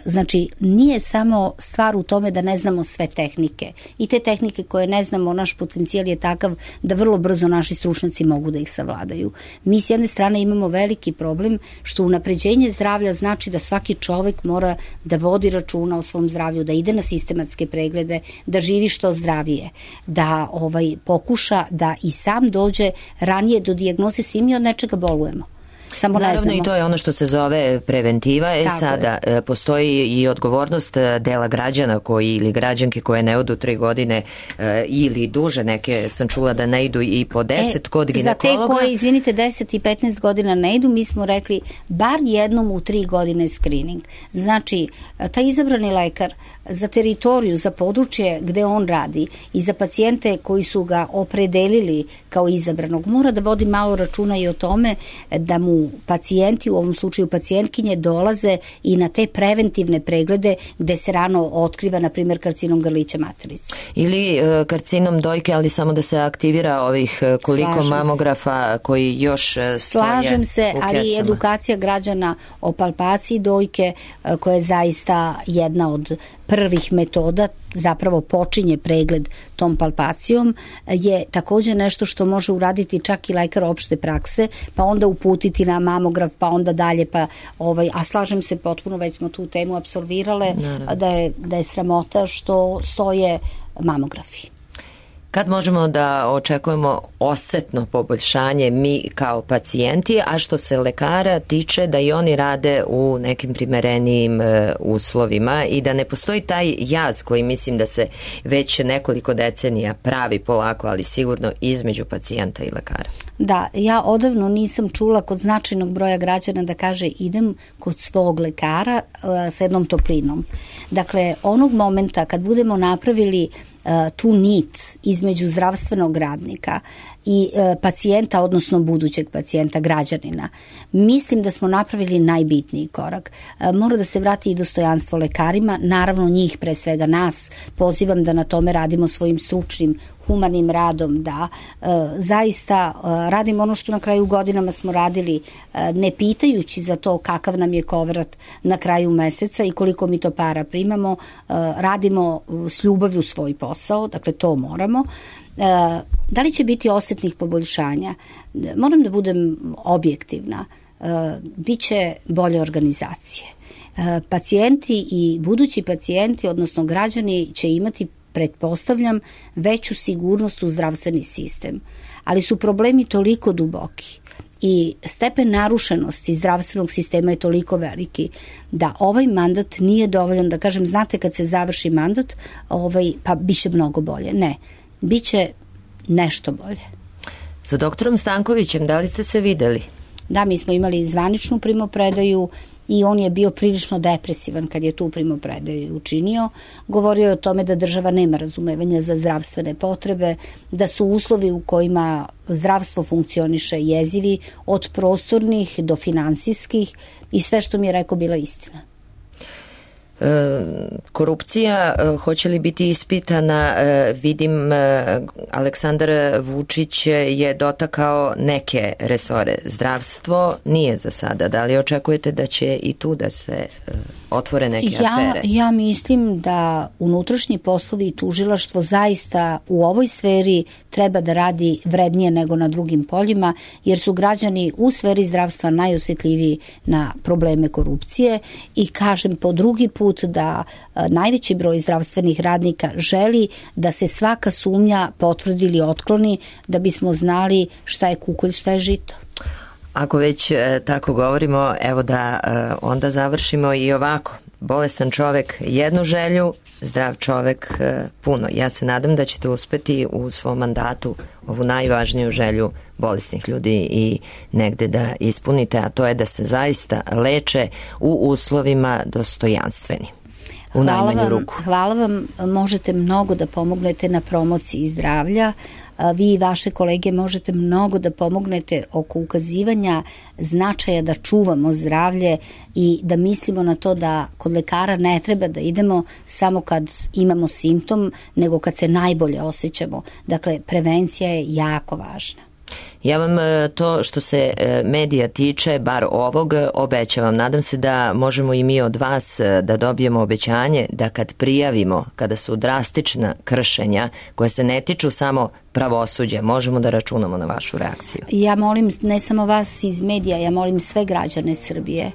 Znači, nije samo stvar u tome da ne znamo sve tehnike. I te tehnike koje ne znamo, naš potencijal je takav da vrlo brzo naši stručnjaci mogu da ih savladaju. Mi s jedne strane imamo veliki problem što unapređenje zdravlja znači da svaki čovek mora da vodi računa o svom zdravlju, da ide na sistematske preglede, da živi što zdravije, da ovaj, pokuša da i sam dođe ranije do dijagnoze. Svi mi od nečega bolujemo. Samo naravno i to je ono što se zove preventiva. E Tako sada je. Postoji i odgovornost dela građana koji ili građanke koje ne odu tri godine e, ili duže, neke sam čula da ne idu i po deset e, kod ginekologa. Za te koje, izvinite, deset i petnaest godina ne idu, mi smo rekli bar jednom u tri godine screening. Znači, taj izabrani lekar za teritoriju, za područje gde on radi i za pacijente koji su ga opredelili kao izabranog, mora da vodi malo računa i o tome da mu pacijenti, u ovom slučaju pacijentkinje, dolaze i na te preventivne preglede gde se rano otkriva, na primjer, karcinom grlića materice. Ili e, karcinom dojke, ali samo da se aktivira ovih koliko Slažem mamografa se. koji još stoje Slažem se, ali i edukacija građana o palpaciji dojke, koja je zaista jedna od prvih metoda zapravo počinje pregled tom palpacijom je također nešto što može uraditi čak i lekar opšte prakse, pa onda uputiti na mamograf, pa onda dalje, pa ovaj, a slažem se potpuno, već smo tu temu apsolvirale, da je, da je sramota što stoje mamografi. Kad možemo da očekujemo osetno poboljšanje mi kao pacijenti, a što se lekara tiče da i oni rade u nekim primerenijim e, uslovima i da ne postoji taj jaz koji mislim da se već nekoliko decenija pravi polako, ali sigurno između pacijenta i lekara? Da, ja odavno nisam čula kod značajnog broja građana da kaže idem kod svog lekara e, sa jednom toplinom. Dakle, onog momenta kad budemo napravili tu nit između zdravstvenog radnika i e, pacijenta, odnosno budućeg pacijenta, građanina, mislim da smo napravili najbitniji korak. E, mora da se vrati i dostojanstvo lekarima, naravno njih, pre svega nas, pozivam da na tome radimo svojim stručnim, humanim radom, da e, zaista e, radimo ono što na kraju godinama smo radili, e, ne pitajući za to kakav nam je kovrat na kraju meseca i koliko mi to para primamo, e, radimo s ljubavlju svoj posao, dakle to moramo. E, da li će biti osetnih poboljšanja? Moram da budem objektivna. E, biće bolje organizacije. E, pacijenti i budući pacijenti, odnosno građani, će imati, pretpostavljam, veću sigurnost u zdravstveni sistem. Ali su problemi toliko duboki i stepen narušenosti zdravstvenog sistema je toliko veliki da ovaj mandat nije dovoljan da kažem, znate, kad se završi mandat, ovaj, pa biće mnogo bolje. Ne, biće nešto bolje. Sa doktorom Stankovićem, da li ste se videli? Da, mi smo imali zvaničnu primopredaju i on je bio prilično depresivan kad je tu primopredaju učinio. Govorio je o tome da država nema razumevanja za zdravstvene potrebe, da su uslovi u kojima zdravstvo funkcioniše jezivi, od prostornih do finansijskih, i sve što mi je rekao bila istina. E, korupcija, e, hoće li biti ispitana? E, vidim, e, Aleksandar Vučić je dotakao neke resore. Zdravstvo nije za sada. Da li očekujete da će i tu da se e, otvore neke ja, afere? Ja mislim da unutrašnji poslovi i tužilaštvo zaista u ovoj sferi treba da radi vrednije nego na drugim poljima, jer su građani u sferi zdravstva najosjetljiviji na probleme korupcije i kažem po drugi put da a, najveći broj zdravstvenih radnika želi da se svaka sumnja potvrdi ili otkloni da bismo znali šta je kukolj, šta je žito. Ako već e, tako govorimo, evo da e, onda završimo i ovako. Bolestan čovek jednu želju, zdrav čovek e, puno. Ja se nadam da ćete uspeti u svom mandatu ovu najvažniju želju bolesnih ljudi i negde da ispunite, a to je da se zaista leče u uslovima dostojanstveni. U hvala najmanju vam, ruku. hvala vam, možete mnogo da pomognete na promociji zdravlja. Vi i vaše kolege možete mnogo da pomognete oko ukazivanja značaja da čuvamo zdravlje i da mislimo na to da kod lekara ne treba da idemo samo kad imamo simptom, nego kad se najbolje osjećamo. Dakle, prevencija je jako važna. Ja vam to što se medija tiče, bar ovog, obećavam. Nadam se da možemo i mi od vas da dobijemo obećanje da kad prijavimo, kada su drastična kršenja koje se ne tiču samo pravosuđe, možemo da računamo na vašu reakciju. Ja molim ne samo vas iz medija, ja molim sve građane Srbije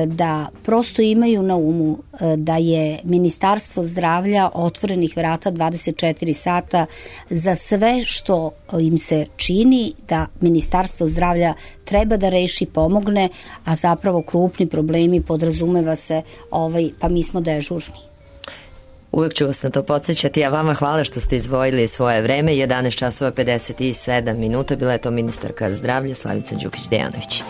da prosto imaju na umu da je Ministarstvo zdravlja otvorenih vrata dvadeset četiri sata za sve što im se čini da Ministarstvo zdravlja treba da reši, pomogne, a zapravo krupni problemi podrazumeva se, ovaj, pa mi smo dežurni. Uvijek ću vas na to podsjećati, a vama hvala što ste izdvojili svoje vreme. jedanaest časova pedeset sedam minuta, bila je to ministarka zdravlja Slavica Đukić Dejanović.